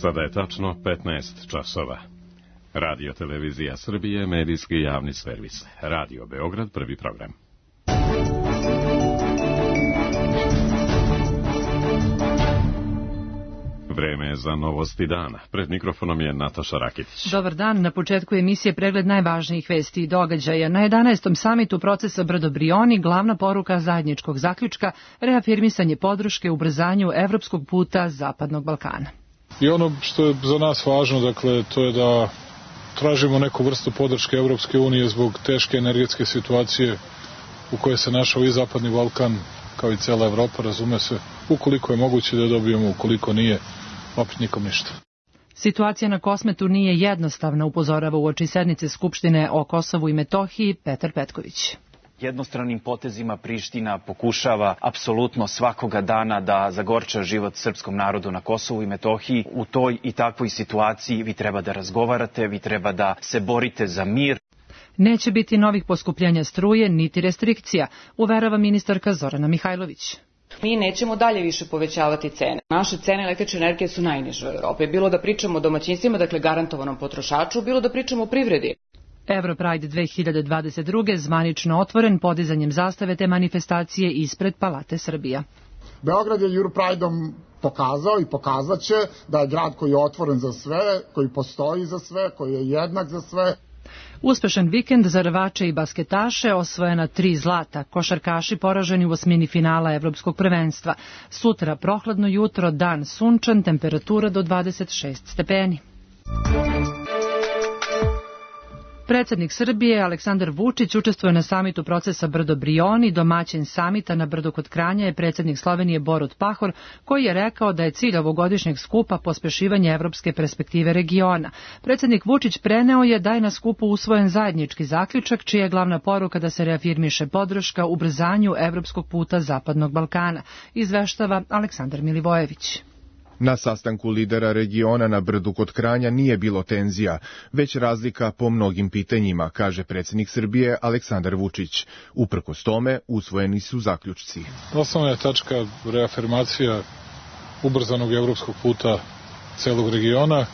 Sada je tačno 15 časova. Radio Televizija Srbije, medijski javni servis. Radio Beograd, prvi program. Vreme je za novosti dana. Pred mikrofonom je Nataša Rakitić. Dobar dan. Na početku emisije pregled najvažnijih vesti i događaja. Na 11. samitu procesa Brdo-Brioni glavna poruka zajedničkog zaključka reafirmisanje podrške ubrzanju evropskog puta Zapadnog Balkana. I ono što je za nas važno, dakle, to je da tražimo neku vrstu podrške Evropske unije zbog teške energetske situacije u kojoj se našao i Zapadni Balkan, kao i cela Evropa, razume se. Ukoliko je moguće da je dobijemo, ukoliko nije, opet nikom ništa. Situacija na Kosmetu nije jednostavna, upozorava uoči sednice Skupštine o Kosovu i Metohiji Petar Petković. Jednostranim potezima Priština pokušava apsolutno svakoga dana da zagorča život srpskom narodu na Kosovu i Metohiji. U toj i takvoj situaciji vi treba da razgovarate, vi treba da se borite za mir. Neće biti novih poskupljenja struje, niti restrikcija, uverava ministarka Zorana Mihajlović. Mi nećemo dalje više povećavati cene. Naše cene električne energije su najniže u Evropi. Bilo da pričamo o domaćinstvima, dakle garantovanom potrošaču, bilo da pričamo o privredi. Europride 2022. zvanično otvoren podizanjem zastave te manifestacije ispred Palate Srbija. Beograd je Europrideom pokazao i pokazat će da je grad koji je otvoren za sve, koji postoji za sve, koji je jednak za sve. Uspešan vikend za rvače i basketaše, osvojena 3 zlata, košarkaši poraženi u osmini finala Evropskog prvenstva. Sutra prohladno jutro, dan sunčan, temperatura do 26 stepeni. Predsjednik Srbije Aleksandar Vučić učestvuje na samitu procesa Brdo-Brioni. Domaćin samita na Brdu kod Kranja je predsjednik Slovenije Borut Pahor, koji je rekao da je cilj ovogodišnjeg skupa pospešivanje evropske perspektive regiona. Predsjednik Vučić preneo je da je na skupu usvojen zajednički zaključak, čija je glavna poruka da se reafirmiše podrška ubrzanju evropskog puta Zapadnog Balkana, izveštava Aleksandar Milivojević. Na sastanku lidera regiona na Brdu kod Kranja nije bilo tenzija, već razlika po mnogim pitanjima, kaže predsjednik Srbije Aleksandar Vučić. Uprkos tome, usvojeni su zaključci. Osnovna je tačka reafirmacija ubrzanog evropskog puta celog regiona.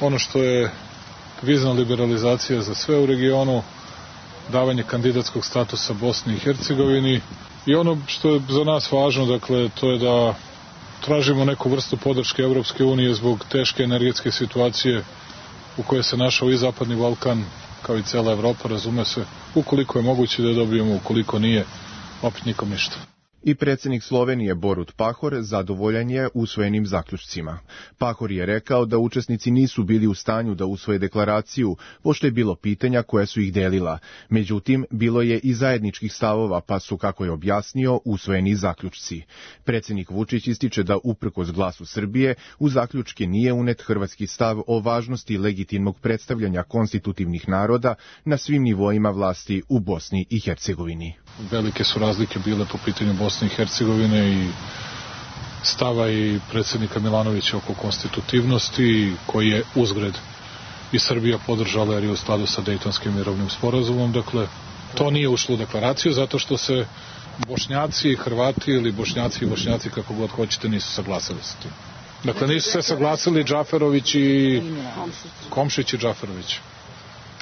Ono što je vizna liberalizacija za sve u regionu, davanje kandidatskog statusa Bosni i Hercegovini i ono što je za nas važno, dakle, to je da tražimo neku vrstu podrške Evropske unije zbog teške energetske situacije u kojoj se našao i Zapadni Balkan, kao i cela Evropa, razume se. Ukoliko je moguće da je dobijemo, ukoliko nije, opet nikom ništa. I predsjednik Slovenije Borut Pahor zadovoljan je usvojenim zaključcima. Pahor je rekao da učesnici nisu bili u stanju da usvoje deklaraciju, pošto je bilo pitanja koja su ih delila. Međutim, bilo je i zajedničkih stavova, pa su, kako je objasnio, usvojeni zaključci. Predsjednik Vučić ističe da uprkos glasu Srbije u zaključke nije unet hrvatski stav o važnosti legitimnog predstavljanja konstitutivnih naroda na svim nivoima vlasti u Bosni i Hercegovini. Velike su razlike bile po pitanju Bosne i Hercegovine i stava i predsjednika Milanovića oko konstitutivnosti, koji je uzgred i Srbija podržala jer je u skladu sa Dejtonskim mirovnim sporazumom. Dakle, to nije ušlo u deklaraciju zato što se Bošnjaci i Hrvati ili Bošnjaci i Bošnjaci, kako god hoćete, nisu saglasili sa tim. Dakle, nisu se saglasili Džaferović i Komšić i Džaferović.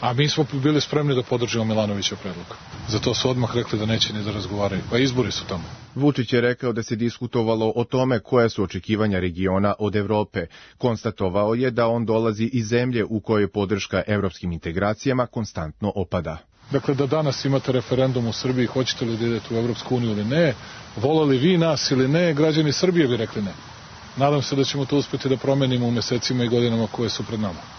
A mi smo bili spremni da podržimo Milanovićev predlog. Zato su odmah rekli da neće ni da razgovaraju. Pa izbori su tamo. Vučić je rekao da se diskutovalo o tome koja su očekivanja regiona od Evrope. Konstatovao je da on dolazi iz zemlje u kojoj podrška evropskim integracijama konstantno opada. Dakle, da danas imate referendum u Srbiji, hoćete li da idete u Evropsku uniju ili ne, volali vi nas ili ne, građani Srbije bi rekli ne. Nadam se da ćemo to uspjeti da promenimo u mesecima i godinama koje su pred nama.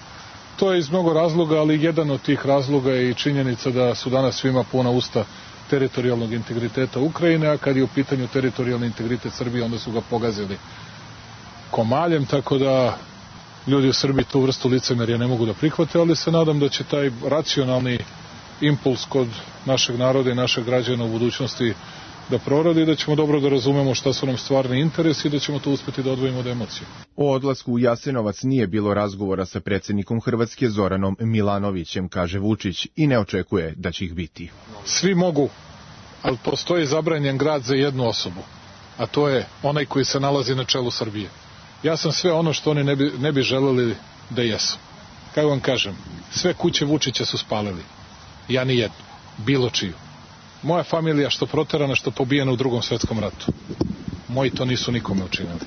To je iz mnogo razloga, ali jedan od tih razloga je i činjenica da su danas svima puna usta teritorijalnog integriteta Ukrajine, a kad je u pitanju teritorijalni integritet Srbije, onda su ga pogazili komaljem, tako da ljudi u Srbiji tu vrstu licemerja ne mogu da prihvate, ali se nadam da će taj racionalni impuls kod našeg naroda i našeg građana u budućnosti da proradi i da ćemo dobro da razumemo šta su nam stvarni interesi i da ćemo to uspjeti da odvojimo od emocije. O odlasku u Jasenovac nije bilo razgovora sa predsjednikom Hrvatske Zoranom Milanovićem, kaže Vučić, i ne očekuje da će ih biti. Svi mogu, ali postoji zabranjen grad za jednu osobu, a to je onaj koji se nalazi na čelu Srbije. Ja sam sve ono što oni ne bi želeli da jesu. Kako vam kažem, sve kuće Vučića su spalili. Ja ni jednu, bilo čiju. Moja familija što proterana, što pobijena u Drugom svetskom ratu. Moji to nisu nikome učinili.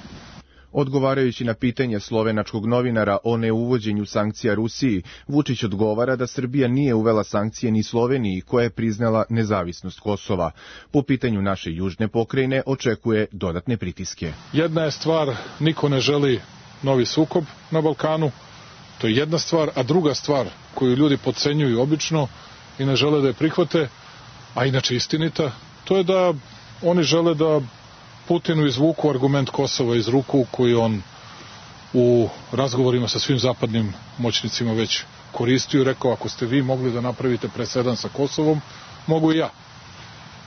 Odgovarajući na pitanje slovenačkog novinara o neuvođenju sankcija Rusiji, Vučić odgovara da Srbija nije uvela sankcije ni Sloveniji, koja je priznala nezavisnost Kosova. Po pitanju naše južne pokrajine očekuje dodatne pritiske. Jedna je stvar, niko ne želi novi sukob na Balkanu, to je jedna stvar, a druga stvar koju ljudi podcenjuju obično i ne žele da je prihvate, a inače istinita, to je da oni žele da Putinu izvuku argument Kosova iz ruku koji on u razgovorima sa svim zapadnim moćnicima već koristio i rekao, ako ste vi mogli da napravite presedan sa Kosovom, mogu i ja.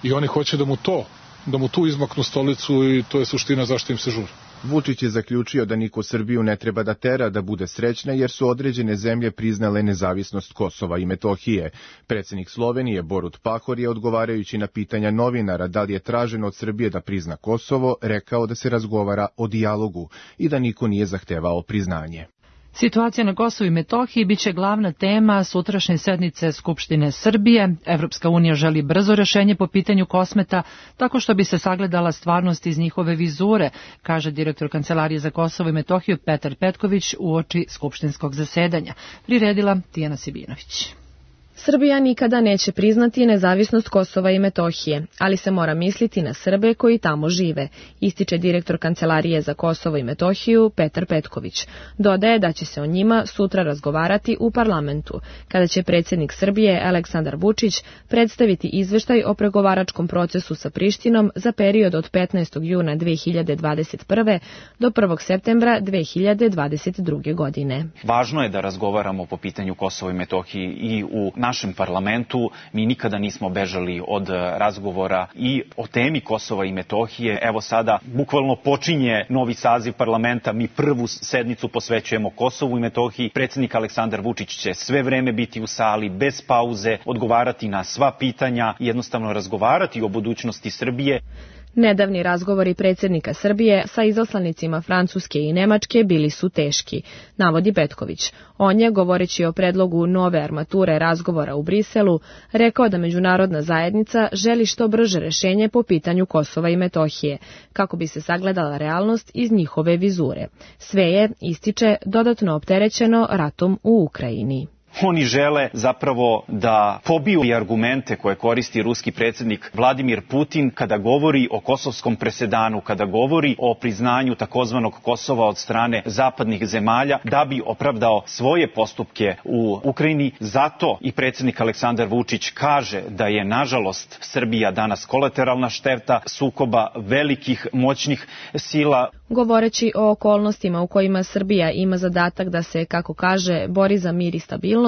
I oni hoće da mu tu izmaknu stolicu i to je suština zašto im se žuri. Vučić je zaključio da niko Srbiju ne treba da tera da bude srećna jer su određene zemlje priznale nezavisnost Kosova i Metohije. Predsjednik Slovenije Borut Pahor je odgovarajući na pitanja novinara da li je traženo od Srbije da prizna Kosovo, rekao da se razgovara o dijalogu i da niko nije zahtevao priznanje. Situacija na Kosovu i Metohiji biće glavna tema sutrašnje sednice Skupštine Srbije. Evropska unija želi brzo rešenje po pitanju Kosmeta, tako što bi se sagledala stvarnost iz njihove vizure, kaže direktor Kancelarije za Kosovo i Metohiju Petar Petković uoči skupštinskog zasedanja. Priredila Tijana Sibinović. Srbija nikada neće priznati nezavisnost Kosova i Metohije, ali se mora misliti na Srbe koji tamo žive, ističe direktor Kancelarije za Kosovo i Metohiju Petar Petković. Dodaje da će se o njima sutra razgovarati u parlamentu, kada će predsjednik Srbije Aleksandar Vučić predstaviti izveštaj o pregovaračkom procesu sa Prištinom za period od 15. juna 2021. do 1. septembra 2022. godine. Važno je da razgovaramo po pitanju Kosova i Metohije i u našem parlamentu. Mi nikada nismo bežali od razgovora i o temi Kosova i Metohije. Evo sada bukvalno počinje novi saziv parlamenta. Mi prvu sednicu posvećujemo Kosovu i Metohiji. Predsjednik Aleksandar Vučić će sve vreme biti u sali, bez pauze, odgovarati na sva pitanja i jednostavno razgovarati o budućnosti Srbije. Nedavni razgovori predsjednika Srbije sa izaslanicima Francuske i Nemačke bili su teški, navodi Petković. On je, govoreći o predlogu nove armature razgovora u Briselu, rekao da međunarodna zajednica želi što brže rešenje po pitanju Kosova i Metohije, kako bi se sagledala realnost iz njihove vizure. Sve je, ističe, dodatno opterećeno ratom u Ukrajini. Oni žele zapravo da pobiju i argumente koje koristi ruski predsjednik Vladimir Putin kada govori o kosovskom presedanu, kada govori o priznanju takozvanog Kosova od strane zapadnih zemalja, da bi opravdao svoje postupke u Ukrajini. Zato i predsjednik Aleksandar Vučić kaže da je, nažalost, Srbija danas kolateralna šteta sukoba velikih moćnih sila. Govoreći o okolnostima u kojima Srbija ima zadatak da se, kako kaže, bori za mir i stabilnost,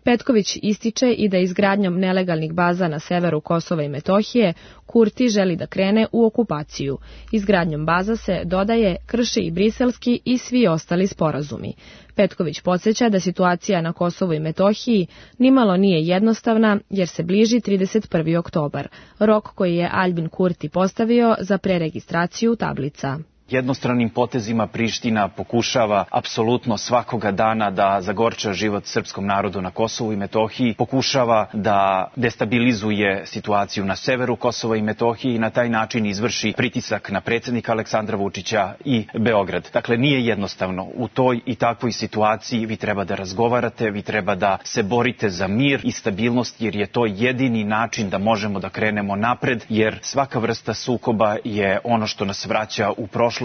Petković ističe i da izgradnjom nelegalnih baza na severu Kosova i Metohije Kurti želi da krene u okupaciju. Izgradnjom baza se, dodaje, krši i briselski i svi ostali sporazumi. Petković podsjeća da situacija na Kosovu i Metohiji nimalo nije jednostavna jer se bliži 31. oktobar, rok koji je Aljbin Kurti postavio za preregistraciju tablica. Jednostranim potezima Priština pokušava apsolutno svakoga dana da zagorča život srpskom narodu na Kosovu i Metohiji, pokušava da destabilizuje situaciju na severu Kosova i Metohije i na taj način izvrši pritisak na predsjednika Aleksandra Vučića i Beograd. Dakle, nije jednostavno. U toj i takvoj situaciji vi treba da razgovarate, vi treba da se borite za mir i stabilnost, jer je to jedini način da možemo da krenemo napred, jer svaka vrsta sukoba je ono što nas vraća u prošlost.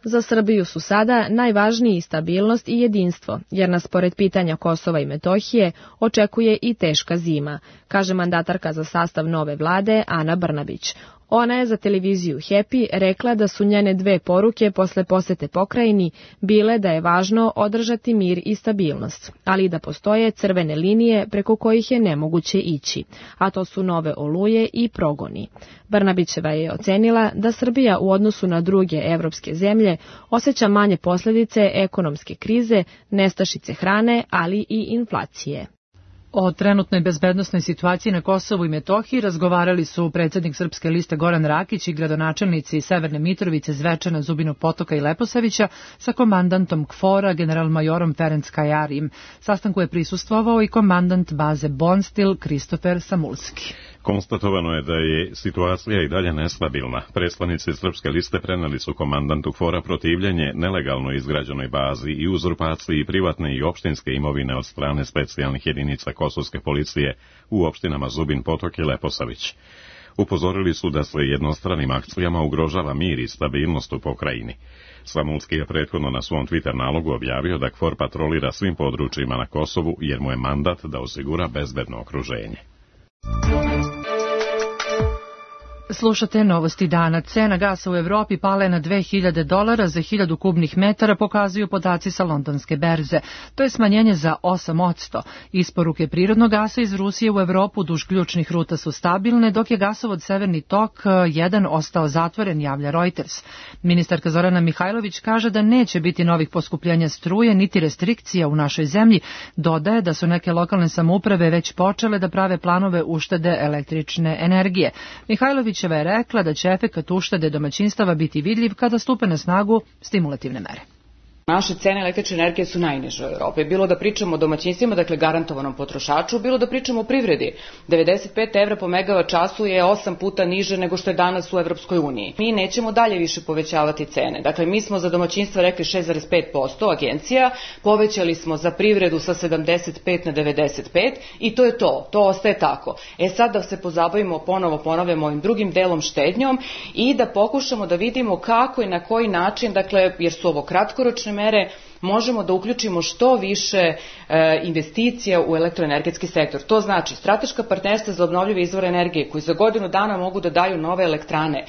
Za Srbiju su sada najvažniji stabilnost i jedinstvo, jer nas pored pitanja Kosova i Metohije očekuje i teška zima, kaže mandatarka za sastav nove vlade Ana Brnabić. Ona je za televiziju Happy rekla da su njene dve poruke posle posete pokrajini bile da je važno održati mir i stabilnost, ali i da postoje crvene linije preko kojih je nemoguće ići, a to su nove oluje i progoni. Brnabićeva je ocenila da Srbija u odnosu na druge evropske zemlje osjeća manje posljedice ekonomske krize, nestašice hrane, ali i inflacije. O trenutnoj bezbednosnoj situaciji na Kosovu i Metohiji razgovarali su predsjednik Srpske liste Goran Rakić i gradonačelnici Severne Mitrovice, Zvečana, Zubinog Potoka i Leposavića sa komandantom KFOR-a, generalmajorom Ferenc Kajarim. Sastanku je prisustvovao i komandant baze Bonstil Kristofer Samulski. Konstatovano je da je situacija i dalje nestabilna. Predstavnici Srpske liste preneli su komandantu KFOR-a protivljenje nelegalno izgrađenoj bazi i uzurpaciji privatne i opštinske imovine od strane specijalnih jedinica kosovske policije u opštinama Zubin Potok i Leposavić. Upozorili su da se jednostranim akcijama ugrožava mir i stabilnost u pokrajini. Samulski je prethodno na svom Twitter nalogu objavio da KFOR patrolira svim područjima na Kosovu jer mu je mandat da osigura bezbedno okruženje. Slušate novosti dana. Cena gasa u Evropi pala je na $2000 za 1000 kubnih metara, pokazuju podaci sa londonske berze. To je smanjenje za 8%. Isporuke prirodnog gasa iz Rusije u Evropu duž ključnih ruta su stabilne, dok je gasovod Severni tok 1 ostao zatvoren, javlja Reuters. Ministarka Zorana Mihajlović kaže da neće biti novih poskupljenja struje niti restrikcija u našoj zemlji. Dodaje da su neke lokalne samouprave već počele da prave planove uštede električne energije. Mihajlović je rekla da će efekat uštede domaćinstava biti vidljiv kada stupe na snagu stimulativne mere. Naše cene električne energije su najniže u Evropi. Bilo da pričamo o domaćinstvima, dakle garantovanom potrošaču, bilo da pričamo o privredi. 95 evra po megavat času je 8 puta niže nego što je danas u Evropskoj uniji. Mi nećemo dalje više povećavati cene. Dakle, mi smo za domaćinstva rekli 6,5%, agencija, povećali smo za privredu sa 75 na 95 i to je to. To ostaje tako. Sad da se pozabavimo, ponavljamo ovim drugim delom štednjom i da pokušamo da vidimo kako i na koji način, dakle, jer su ovo kratkoročne mere, možemo da uključimo što više investicija u elektroenergetski sektor. To znači strateška partnerstva za obnovljive izvore energije koji za godinu dana mogu da daju nove elektrane,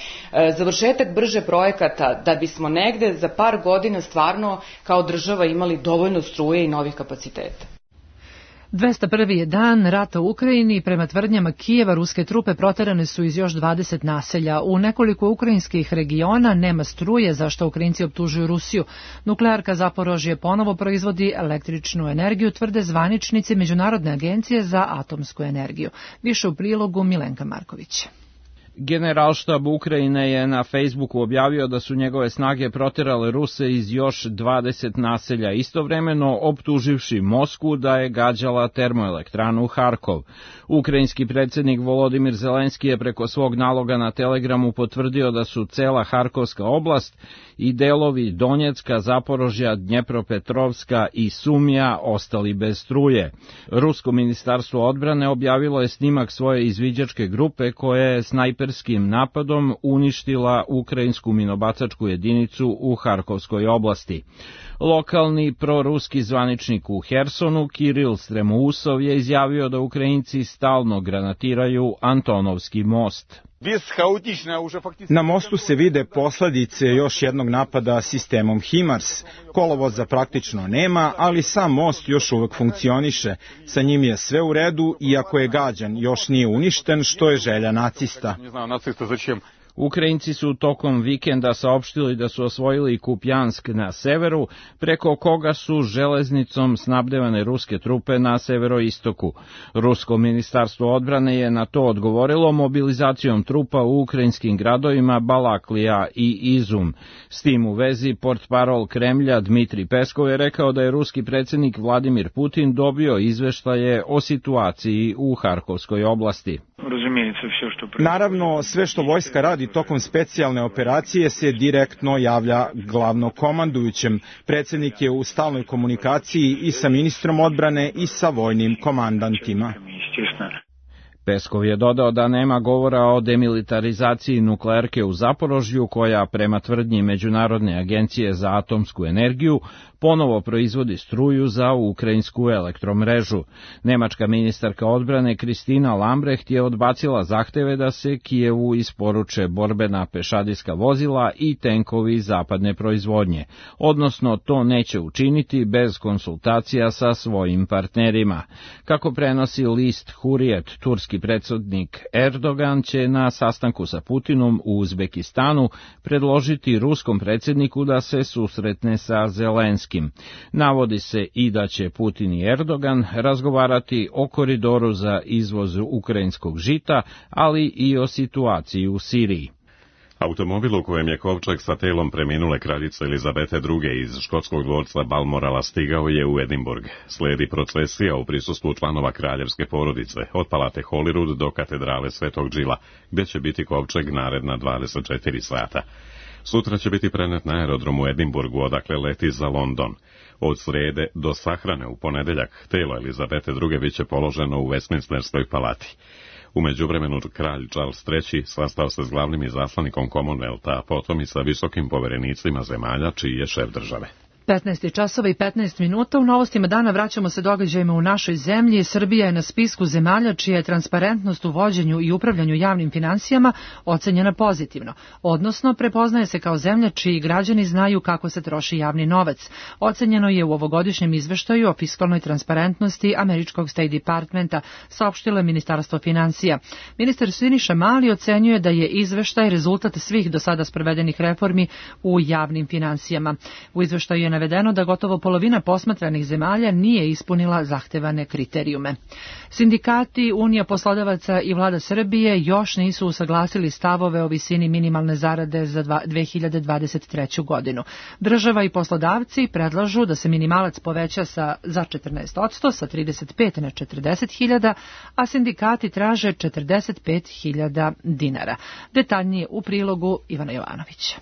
završetak brže projekata da bismo negde za par godina stvarno kao država imali dovoljno struje i novih kapaciteta. 201. je dan rata u Ukrajini. Prema tvrdnjama Kijeva, ruske trupe proterane su iz još 20 naselja. U nekoliko ukrajinskih regiona nema struje, za što Ukrajinci optužuju Rusiju. Nuklearka Zaporožje ponovo proizvodi električnu energiju, tvrde zvaničnici Međunarodne agencije za atomsku energiju. Više u prilogu Milenka Marković. Generalštab Ukrajine je na Facebooku objavio da su njegove snage proterale Ruse iz još 20 naselja, istovremeno optuživši Moskvu da je gađala termoelektranu Harkov. Ukrajinski predsjednik Volodimir Zelenski je preko svog naloga na Telegramu potvrdio da su cela Harkovska oblast i delovi Donjecka, Zaporožja, Dnjepropetrovska i Sumija ostali bez struje. Rusko ministarstvo odbrane objavilo je snimak svoje izviđačke grupe koja je snajperskim napadom uništila ukrajinsku minobacačku jedinicu u Harkovskoj oblasti. Lokalni proruski zvaničnik u Hersonu, Kiril Stremousov, je izjavio da Ukrajinci stalno granatiraju Antonovski most. Na mostu se vide posljedice još jednog napada sistemom HIMARS. Kolovoza praktično nema, ali sam most još uvek funkcioniše. Sa njim je sve u redu, iako je gađan, još nije uništen, što je želja nacista. Ukrajinci su tokom vikenda saopštili da su osvojili Kupjansk na severu, preko koga su železnicom snabdevane ruske trupe na severoistoku. Rusko ministarstvo odbrane je na to odgovorilo mobilizacijom trupa u ukrajinskim gradovima Balaklija i Izum. S tim u vezi portparol Kremlja Dmitri Peskov je rekao da je ruski predsjednik Vladimir Putin dobio izveštaje o situaciji u Harkovskoj oblasti. Naravno, sve što vojska radi tokom specijalne operacije se direktno javlja glavnokomandujućem. Predsjednik je u stalnoj komunikaciji i sa ministrom odbrane i sa vojnim komandantima. Peskov je dodao da nema govora o demilitarizaciji nuklearke u Zaporožju, koja prema tvrdnji Međunarodne agencije za atomsku energiju ponovo proizvodi struju za ukrajinsku elektromrežu. Nemačka ministarka odbrane Kristina Lambrecht je odbacila zahteve da se Kijevu isporuče borbena pešadijska vozila i tenkovi zapadne proizvodnje, odnosno to neće učiniti bez konsultacija sa svojim partnerima. Kako prenosi list Hurriyet, turski turski predsjednik Erdogan će na sastanku sa Putinom u Uzbekistanu predložiti ruskom predsjedniku da se susretne sa Zelenskim. Navodi se i da će Putin i Erdogan razgovarati o koridoru za izvoz ukrajinskog žita, ali i o situaciji u Siriji. Automobil u kojem je kovčeg sa telom preminule kraljice Elizabete II. Iz škotskog dvorca Balmorala stigao je u Edinburgh. Slijedi procesija u prisustvu članova kraljevske porodice, od palate Holyrood do katedrale Svetog Džila, gdje će biti kovčeg naredna 24 sata. Sutra će biti prenet na aerodromu u Edinburgu, odakle leti za London. Od srede do sahrane u ponedeljak telo Elizabete II. Biće položeno u Westminsterskoj palati. U međuvremenu kralj Charles III. Sastao se s glavnim izaslanikom Commonwealtha, a potom i sa visokim poverenicima zemalja čiji je šef države. 15 časova i 15 minuta. U novostima dana vraćamo se događajima u našoj zemlji. Srbija je na spisku zemalja čija je transparentnost u vođenju i upravljanju javnim finansijama ocenjena pozitivno, odnosno prepoznaje se kao zemlja čiji građani znaju kako se troši javni novac. Ocenjeno je u ovogodišnjem izveštaju o fiskalnoj transparentnosti američkog State Departmenta, saopštilo je Ministarstvo finansija. Ministar Siniša Mali ocenjuje da je izveštaj rezultat svih do sada sprovedenih reformi u javnim finansijama. U izveštaju je navedeno da gotovo polovina posmatranih zemalja nije ispunila zahtevane kriterijume. Sindikati, Unija poslodavaca i Vlada Srbije još nisu usaglasili stavove o visini minimalne zarade za 2023. godinu. Država i poslodavci predlažu da se minimalac poveća za 14%, sa 35 na 40.000, a sindikati traže 45.000 dinara. Detaljnije u prilogu Ivana Jovanovića.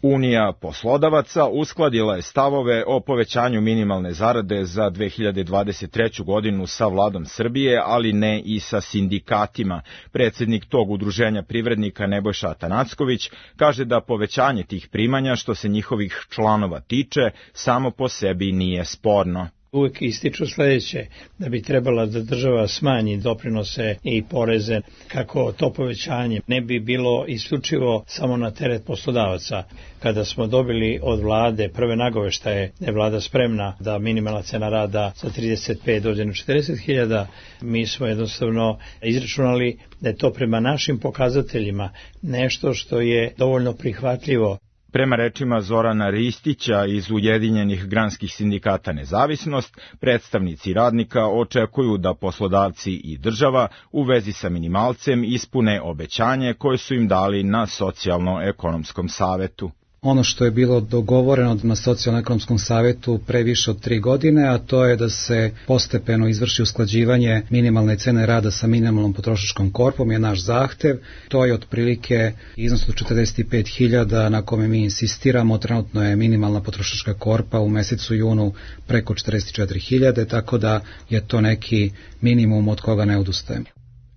Unija poslodavaca uskladila je stavove o povećanju minimalne zarade za 2023. godinu sa Vladom Srbije, ali ne i sa sindikatima. Predsjednik tog udruženja privrednika Nebojša Atanacković kaže da povećanje tih primanja što se njihovih članova tiče samo po sebi nije sporno. Uvijek ističu sljedeće, da bi trebala da država smanji doprinose i poreze, kako to povećanje ne bi bilo isključivo samo na teret poslodavaca. Kada smo dobili od vlade prve nagoveštaje da je vlada spremna da minimalna cena rada sa 35 dođe na 40.000, mi smo jednostavno izračunali da je to prema našim pokazateljima nešto što je dovoljno prihvatljivo. Prema rečima Zorana Ristića iz Ujedinjenih granskih sindikata Nezavisnost, predstavnici radnika očekuju da poslodavci i država u vezi sa minimalcem ispune obećanje koje su im dali na Socijalno-ekonomskom savetu. Ono što je bilo dogovoreno na Socijalno-ekonomskom savetu pre više od 3 godine, a to je da se postepeno izvrši usklađivanje minimalne cene rada sa minimalnom potrošačkom korpom, je naš zahtev. To je otprilike iznos od 45.000 na kome mi insistiramo. Trenutno je minimalna potrošačka korpa u mesecu junu preko 44.000, tako da je to neki minimum od koga ne odustajemo.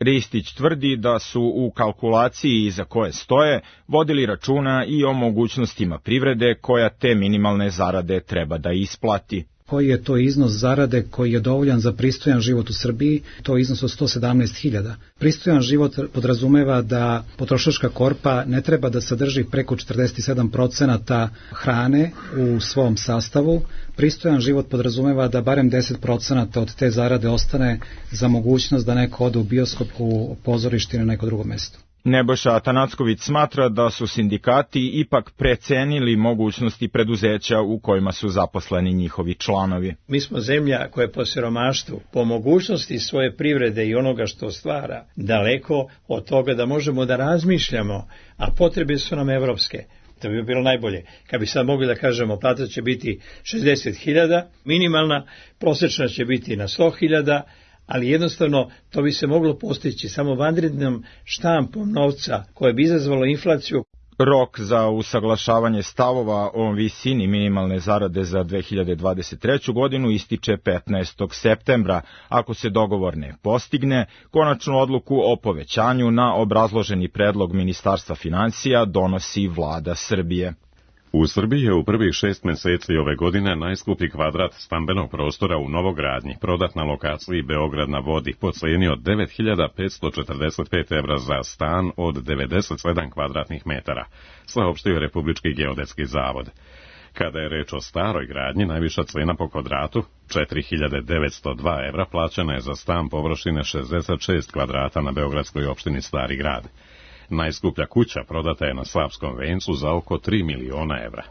Ristić tvrdi da su u kalkulaciji iza koje stoje vodili računa i o mogućnostima privrede koja te minimalne zarade treba da isplati. Koji je to iznos zarade koji je dovoljan za pristojan život u Srbiji? To je iznos od 117.000. Pristojan život podrazumeva da potrošačka korpa ne treba da sadrži preko 47% hrane u svom sastavu. Pristojan život podrazumeva da barem 10% od te zarade ostane za mogućnost da neko ode u bioskop, u pozorište na neko drugo mesto. Nebojša Atanacković smatra da su sindikati ipak precenili mogućnosti preduzeća u kojima su zaposleni njihovi članovi. Mi smo zemlja koja je po siromaštvu, po mogućnosti svoje privrede i onoga što stvara, daleko od toga da možemo da razmišljamo, a potrebe su nam evropske. To bi bilo najbolje. Kad bi sad mogli da kažemo, plata će biti 60.000, minimalna, prosječna će biti na 100.000, ali jednostavno to bi se moglo postići samo vanrednom štampom novca koje bi izazvalo inflaciju. Rok za usaglašavanje stavova o visini minimalne zarade za 2023. godinu ističe 15. septembra. Ako se dogovor ne postigne, konačnu odluku o povećanju na obrazloženi predlog Ministarstva finansija donosi Vlada Srbije. U Srbiji je u prvih 6 mjeseci ove godine najskuplji kvadrat stambenog prostora u novogradnji prodat na lokaciji Beograd na vodi po cijeni od 9.545 evra za stan od 97 kvadratnih metara, saopštio je Republički geodetski zavod. Kada je reč o staroj gradnji, najviša cena po kvadratu, 4.902 evra, plaćana je za stan površine 66 kvadrata na beogradskoj opštini Stari grad. Najskuplja kuća prodata je na Slavskom vencu za oko 3 miliona evra.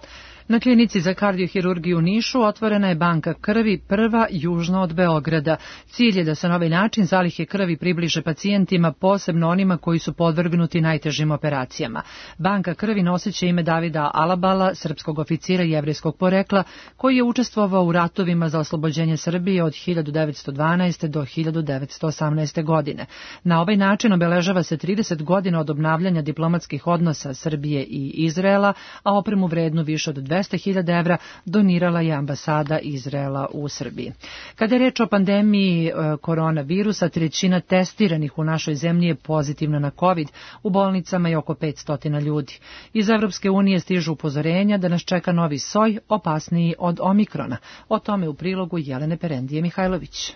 Na klinici za kardiohirurgiju u Nišu otvorena je banka krvi, prva južno od Beograda. Cilj je da se na ovaj način zalihe krvi približe pacijentima, posebno onima koji su podvrgnuti najtežim operacijama. Banka krvi noseće ime Davida Alabala, srpskog oficira jevrejskog porekla, koji je učestvovao u ratovima za oslobođenje Srbije od 1912. do 1918. godine. Na ovaj način obeležava se 30 godina od obnavljanja diplomatskih odnosa Srbije i Izraela, a opremu vrednu više od 200.000 evra donirala je ambasada Izraela u Srbiji. Kada je reč o pandemiji koronavirusa, 1/3 testiranih u našoj zemlji je pozitivna na COVID, u bolnicama je oko 500 ljudi. Iz Evropske unije stižu upozorenja da nas čeka novi soj, opasniji od omikrona. O tome u prilogu Jelene Perendije Mihajlović.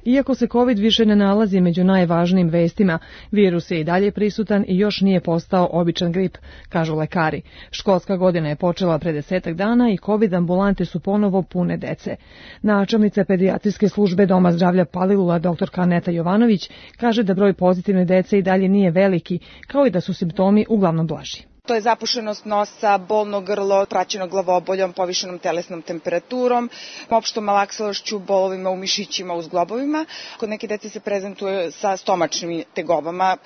Iako se COVID više ne nalazi među najvažnijim vestima, virus je i dalje prisutan i još nije postao običan grip, kažu lekari. Školska godina je počela pre 10 dana i COVID ambulante su ponovo pune dece. Načelnica pedijatrijske službe Doma zdravlja Palilula, dr. Aneta Jovanović, kaže da broj pozitivne dece i dalje nije veliki, kao i da su simptomi uglavnom blaži. To je zapušenost nosa, bolno grlo, praćeno glavoboljom, povišenom telesnom temperaturom, opštom malaksalošću, bolovima u mišićima, u zglobovima. Kod neke dece se prezentuje sa stomačnim tegobama.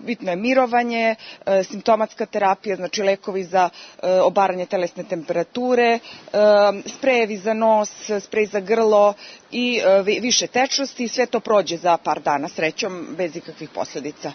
Bitno je mirovanje, simptomatska terapija, znači lekovi za obaranje telesne temperature, sprejevi za nos, sprej za grlo i više tečnosti. Sve to prođe za par dana, srećom, bez ikakvih posljedica.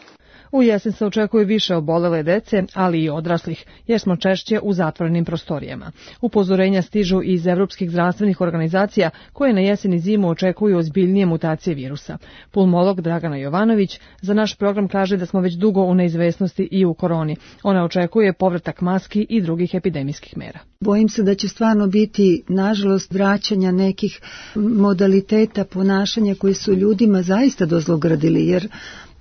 U jesen se očekuje više obolele dece, ali i odraslih, jer smo češće u zatvorenim prostorijama. Upozorenja stižu iz evropskih zdravstvenih organizacija koje na jesen i zimu očekuju ozbiljnije mutacije virusa. Pulmolog Dragana Jovanović za naš program kaže da smo već dugo u neizvesnosti i u koroni. Ona očekuje povratak maski i drugih epidemijskih mera. Bojim se da će stvarno biti, nažalost, vraćanja nekih modaliteta ponašanja koji su ljudima zaista dozlogradili, jer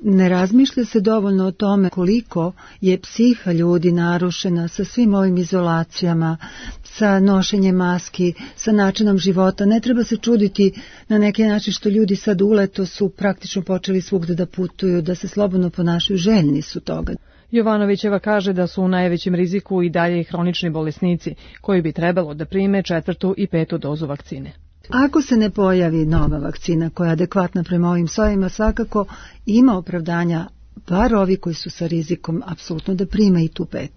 ne razmišlja se dovoljno o tome koliko je psiha ljudi narušena sa svim ovim izolacijama, sa nošenjem maski, sa načinom života. Ne treba se čuditi na neki način što ljudi sad u leto su praktično počeli svugde da putuju, da se slobodno ponašaju, željni su toga. Jovanovićeva kaže da su u najvećem riziku i dalje hronični bolesnici, koji bi trebalo da prime 4. i 5. dozu vakcine. Ako se ne pojavi nova vakcina koja je adekvatna prema ovim sojima, svakako ima opravdanja, bar ovi koji su sa rizikom, apsolutno da prime i tu 5.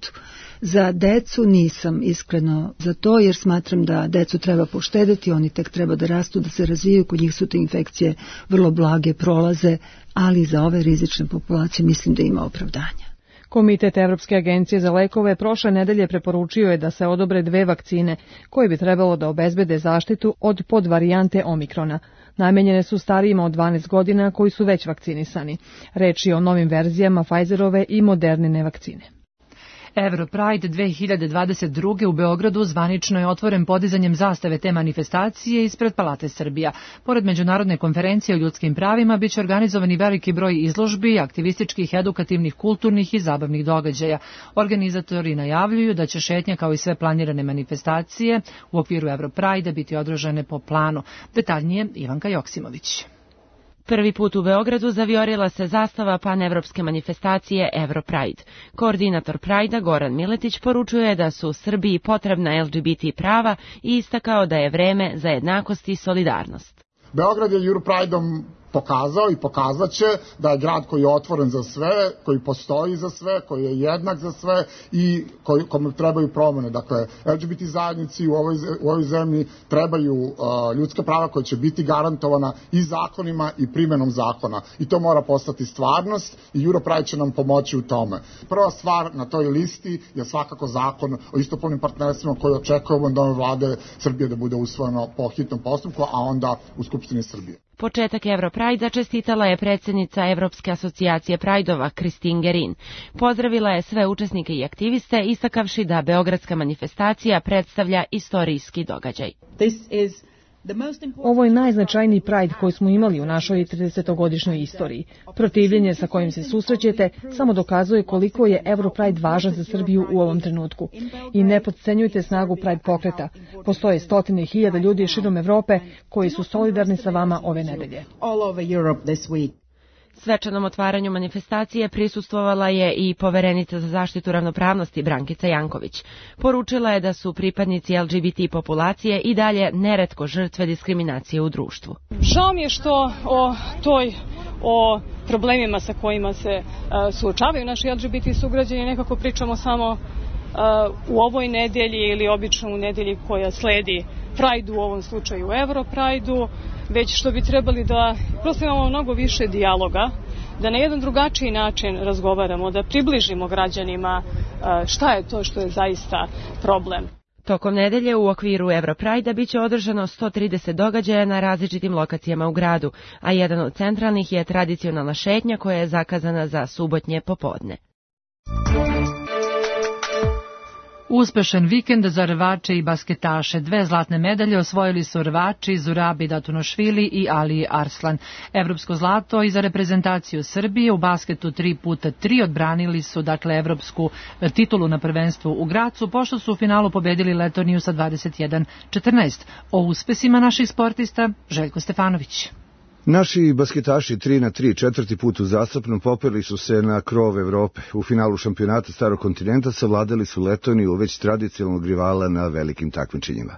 Za decu nisam iskreno za to, jer smatram da decu treba poštedeti, oni tek treba da rastu, da se razvijaju, kod njih su te infekcije vrlo blage, prolaze, ali za ove rizične populacije mislim da ima opravdanja. Komitet Evropske agencije za lekove prošle nedelje preporučio je da se odobre 2 vakcine koje bi trebalo da obezbede zaštitu od podvarijante omikrona. Namenjene su starijima od 12 godina koji su već vakcinisani. Reč je o novim verzijama Pfizerove i Modernine vakcine. Europride 2022. u Beogradu zvanično je otvoren podizanjem zastave te manifestacije ispred Palate Srbija. Pored međunarodne konferencije o ljudskim pravima biće organizovani veliki broj izložbi, aktivističkih, edukativnih, kulturnih i zabavnih događaja. Organizatori najavljuju da će šetnja kao i sve planirane manifestacije u okviru Europride biti održane po planu. Detaljnije Ivanka Joksimović. Prvi put u Beogradu zavijorila se zastava panevropske manifestacije Europride. Koordinator Prajda Goran Miletić poručuje da su Srbiji potrebna LGBT prava i istakao da je vreme za jednakost i solidarnost. Beograd je Europrideom pokazao i pokazat će da je grad koji je otvoren za sve, koji postoji za sve, koji je jednak za sve i kome trebaju promene. Dakle, LGBT zajednici u ovoj zemlji trebaju ljudska prava koja će biti garantovana i zakonima i primenom zakona. I to mora postati stvarnost i Europride će nam pomoći u tome. Prva stvar na toj listi je svakako zakon o istopolnim partnerstvima koji očekujemo od nove vlade Srbije da bude usvojeno po hitnom postupku, a onda u Skupštini Srbije. Početak Europrajda čestitala je predsjednica Evropske asocijacije Prajdova Kristin Gerin. Pozdravila je sve učesnike i aktiviste, istakavši da beogradska manifestacija predstavlja istorijski događaj. This is Ovo je najznačajniji Pride koji smo imali u našoj 30-godišnjoj istoriji. Protivljenje sa kojim se susrećete samo dokazuje koliko je Europride važan za Srbiju u ovom trenutku. I ne potcenjujte snagu Pride pokreta. Postoje stotine hiljada ljudi širom Evrope koji su solidarni sa vama ove nedelje. Svečanom otvaranju manifestacije prisustvovala je i poverenica za zaštitu ravnopravnosti Brankica Janković. Poručila je da su pripadnici LGBT populacije i dalje neretko žrtve diskriminacije u društvu. Žao mi je što o problemima sa kojima se suočavaju naši LGBT sugrađani nekako pričamo samo u ovoj nedelji ili obično u nedelji koja sledi Pride-u, u ovom slučaju Europride-u, već što bi trebali da prosto imamo mnogo više dijaloga, da na jedan drugačiji način razgovaramo, da približimo građanima šta je to što je zaista problem. Tokom nedelje u okviru Europride-a biće održano 130 događaja na različitim lokacijama u gradu, a jedan od centralnih je tradicionalna šetnja koja je zakazana za subotnje popodne. Uspešan vikend za rvače i basketaše. 2 zlatne medalje osvojili su rvači Zurabi Datunošvili i Ali Arslan. Evropsko zlato i za reprezentaciju Srbije u basketu 3x3 odbranili su evropsku titulu na prvenstvu u Gracu, pošto su u finalu pobedili Letoniju sa 21-14. O uspesima naših sportista Željko Stefanović. Naši basketaši 3x3 četvrti put uzastopno popeli su se na krov Evrope. U finalu šampionata Starog kontinenta savladali su Letoniju, već tradicionalnog rivala na velikim takmičenjima.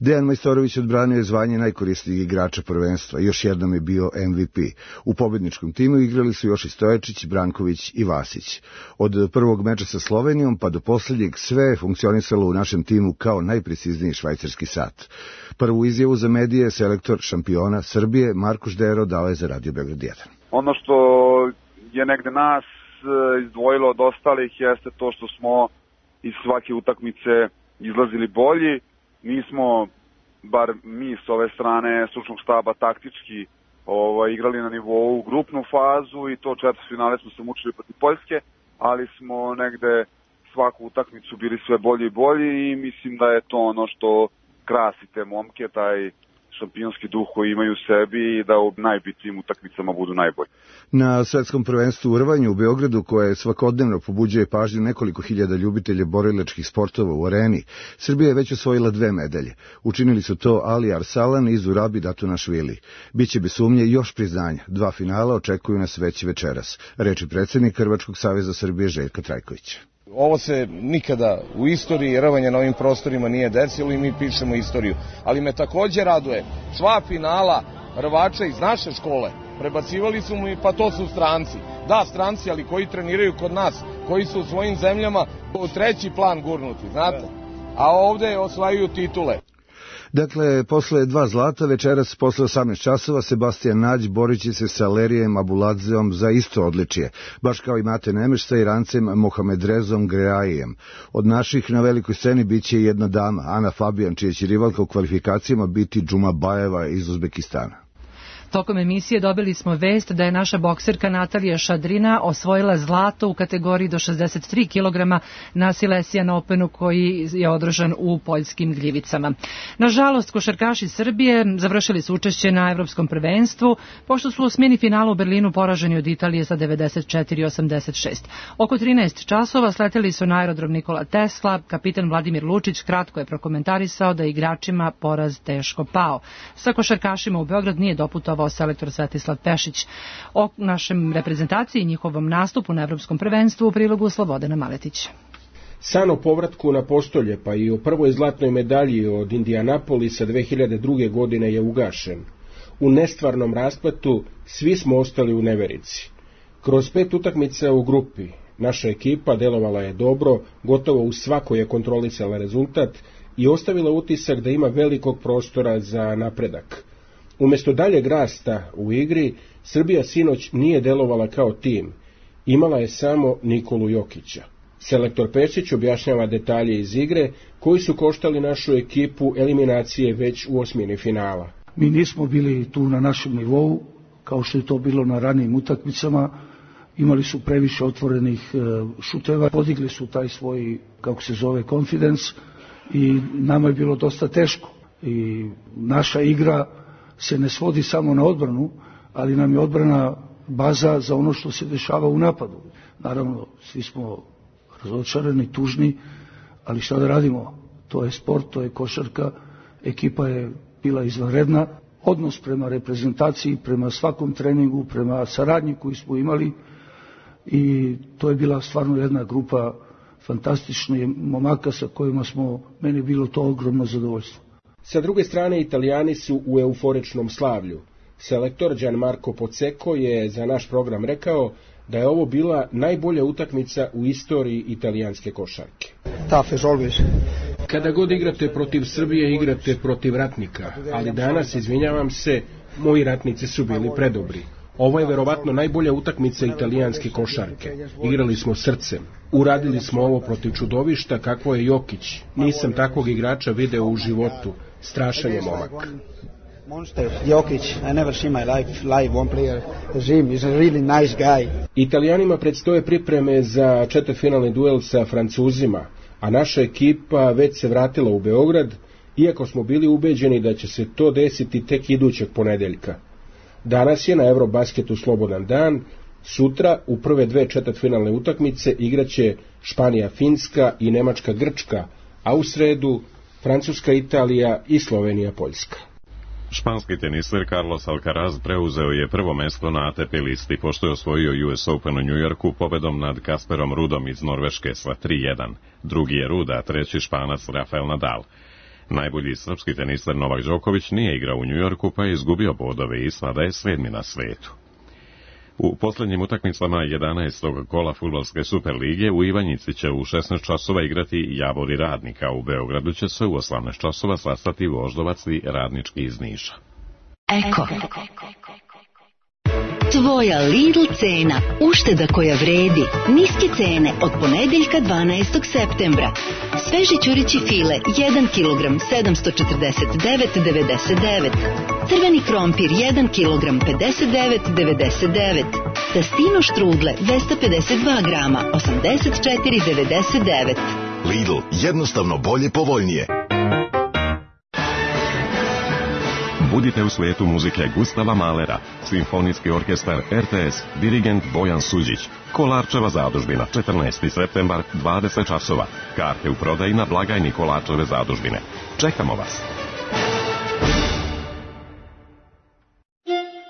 Dejan Majstorović odbranio je zvanje najkorisnijeg igrača prvenstva. Još jednom je bio MVP. U pobedničkom timu igrali su još i Stojačić, Branković i Vasić. Od prvog meča sa Slovenijom pa do posljednjeg sve je funkcionisalo u našem timu kao najprecizniji švajcarski sat. Prvu izjavu za medije selektor šampiona Srbije Marko Ždero dao je za Radio Beograd 1. Ono što je negde nas izdvojilo od ostalih jeste to što smo iz svake utakmice izlazili bolji. Nismo, bar mi s ove strane stručnog štaba, taktički igrali na nivou grupnu fazu i to četvrtfinale smo se mučili protiv Poljske, ali smo negde svaku utakmicu bili sve bolji i bolji i mislim da je to ono što krasi te momke, taj šampionski duh koji imaju u sebi i da u najbitnijim utakmicama budu najbolji. Na svetskom prvenstvu u rvanju u Beogradu, koje svakodnevno pobuđuje pažnju nekoliko hiljada ljubitelja borilačkih sportova u areni, Srbija je već osvojila 2 medalje. Učinili su to Ali Arsalan i Zurabi Datunošvili. Biće bez sumnje još priznanja. 2 finala očekuju nas već večeras, reči predsjednik Hrvatskog saveza Srbije Željka Trajkovića. Ovo se nikada u istoriji rvanja na ovim prostorima nije desilo i mi pišemo istoriju. Ali me također raduje, sva finala rvača iz naše škole prebacivali su mi, pa to su stranci. Da, stranci, ali koji treniraju kod nas, koji su u svojim zemljama u 3. plan gurnuti, znate. A ovdje osvajaju titule. Dakle, posle 2 zlata, večeras posle 18 časova, Sebastian Nađ borit će se sa Lerijem Abuladzeom za isto odličje, baš kao i Mate Nemeš sa Irancem Mohamedrezom Greajijem. Od naših na velikoj sceni bit će jedna dama, Ana Fabijan, čija će rivalka u kvalifikacijama biti Džumabajeva iz Uzbekistana. Tokom emisije dobili smo vest da je naša bokserka Natalija Šadrina osvojila zlato u kategoriji do 63 kg na Silesian Openu koji je održan u poljskim Gljivicama. Nažalost, košarkaši Srbije završili su učešće na Evropskom prvenstvu, pošto su u osmini finalu u Berlinu poraženi od Italije sa 94-86. Oko 13 časova sleteli su na aerodrom Nikola Tesla. Kapitan Vladimir Lučić kratko je prokomentarisao da igračima poraz teško pao. Sa košarkašima u Beograd nije doputovao selektor Svetislav Pešić. O našem reprezentaciji i njihovom nastupu na Evropskom prvenstvu u prilogu Slobodana Maletić. San o povratku na postolje, pa i o prvoj zlatnoj medalji od Indianapolisa 2002. godine je ugašen. U nestvarnom raspletu svi smo ostali u neverici. Kroz 5 utakmica u grupi naša ekipa delovala je dobro, gotovo u svakoj je kontrolisala rezultat i ostavila utisak da ima velikog prostora za napredak. Umjesto daljeg rasta u igri, Srbija sinoć nije delovala kao tim. Imala je samo Nikolu Jokića. Selektor Pešić objašnjava detalje iz igre koji su koštali našu ekipu eliminacije već u osmini finala. Mi nismo bili tu na našem nivou, kao što je to bilo na ranijim utakmicama. Imali su previše otvorenih šuteva, podigli su taj svoj, kako se zove, confidence i nama je bilo dosta teško. I naša igra se ne svodi samo na odbranu, ali nam je odbrana baza za ono što se dešava u napadu. Naravno, svi smo razočarani, tužni, ali šta da radimo? To je sport, to je košarka, ekipa je bila izvanredna, odnos prema reprezentaciji, prema svakom treningu, prema saradnji koju smo imali i to je bila stvarno jedna grupa fantastičnih momaka sa kojima smo, meni bilo to ogromno zadovoljstvo. Sa druge strane, Italijani su u euforičnom slavlju. Selektor Gianmarco Pozzecco je za naš program rekao da je ovo bila najbolja utakmica u istoriji italijanske košarke. Kada god igrate protiv Srbije, igrate protiv ratnika, ali danas, izvinjavam se, moji ratnici su bili predobri. Ovo je verovatno najbolja utakmica italijanske košarke. Igrali smo srcem. Uradili smo ovo protiv čudovišta kakvo je Jokić. Nisam takvog igrača video u životu. Strašan je momak. Italijanima predstoje pripreme za četvrtfinalni duel sa Francuzima, a naša ekipa već se vratila u Beograd, iako smo bili ubeđeni da će se to desiti tek idućeg ponedeljka. Danas je na Eurobasketu slobodan dan, sutra u prve dve četvrtfinalne utakmice igraće Španija-Finska i Nemačka-Grčka, a u sredu Francuska-Italija i Slovenija-Poljska. Španski teniser Carlos Alcaraz preuzeo je prvo mesto na ATP listi pošto je osvojio US Open u Njujorku pobedom nad Kasperom Rudom iz Norveške sa 3-1. Drugi je Ruda, a treći Španac Rafael Nadal. Najbolji srpski teniser Novak Đoković nije igrao u Njujorku pa je izgubio bodove i sada je 7. na svetu. U posljednjim utakmicama 11. kola fudbalske Superlige u Ivanjici će u 16 časova igrati Javor i Radnik, a u Beogradu će se u 18 časova sastati Voždovac i Radnički iz Niša. Eko. Tvoja Lidl cena, ušteda koja vredi, niske cene od ponedeljka 12. septembra. Sveži ćurići file 1 kg 749,99. Crveni krompir 1 kg 59,99. Testino štrudle 252 grama 84,99. Lidl, jednostavno bolje, povoljnije. Budite u svijetu muzike Gustava Mahlera, simfonijski orkestar RTS, dirigent Bojan Suđić, Kolarčeva zadužbina, 14. septembar, 20 časova. Karte u prodaji na blagajni Kolarčeve zadužbine. Čekamo vas!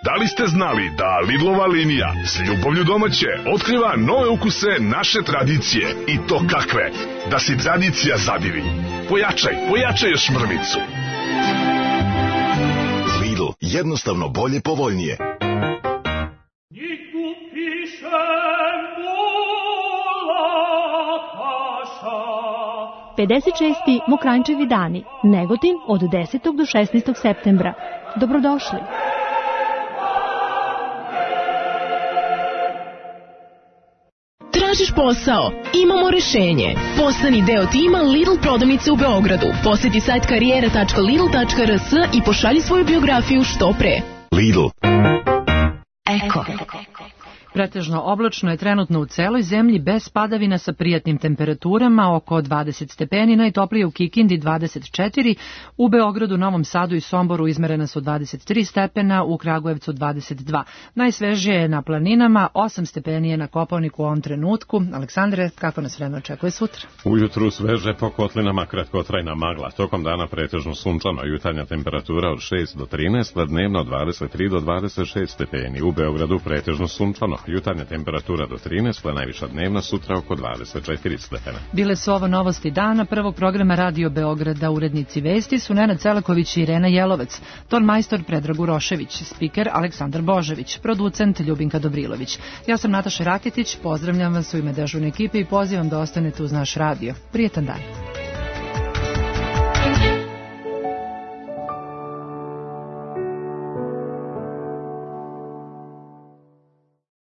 Da li ste znali da Lidlova linija s ljubavlju domaće otkriva nove ukuse naše tradicije? I to kakve? Da si tradicija zadivi. Pojačaj još mrvicu. Lidl, jednostavno bolje, povoljnije. 56. Mokranjčevi dani, Negotin od 10. do 16. septembra. Dobrodošli! Tražiš posao? Imamo rešenje. Postani deo tima Lidl prodavnice u Beogradu. Posjeti sajt karijera.lidl.rs i pošalji svoju biografiju što pre. Lidl. Eko. Pretežno oblačno je trenutno u celoj zemlji bez padavina sa prijatnim temperaturama, oko 20 stepeni, najtoplije u Kikindi 24, u Beogradu, Novom Sadu i Somboru izmerena su 23 stepena, u Kragujevcu 22. Najsvežije je na planinama, 8 stepeni je na Kopaoniku u ovom trenutku. Aleksandre, kako nas vreme očekuje sutra? Ujutru sveže, po kotlinama kratkotrajna magla, tokom dana pretežno sunčano, jutarnja temperatura od 6 do 13, a dnevno od 23 do 26 stepeni, u Beogradu pretežno sunčano, jutarnja temperatura do 13, a najviša dnevna sutra oko 24 stepena. Bile su ovo novosti dana prvog programa Radio Beograda. Urednici vesti su Nenad Celaković i Irena Jelovec, ton majstor Predrag Urošević, spiker Aleksandar Božević, producent Ljubinka Dobrilović. Ja sam Nataša Raketić, pozdravljam vas u ime dežurne ekipe i pozivam da ostanete uz naš radio. Prijetan dan.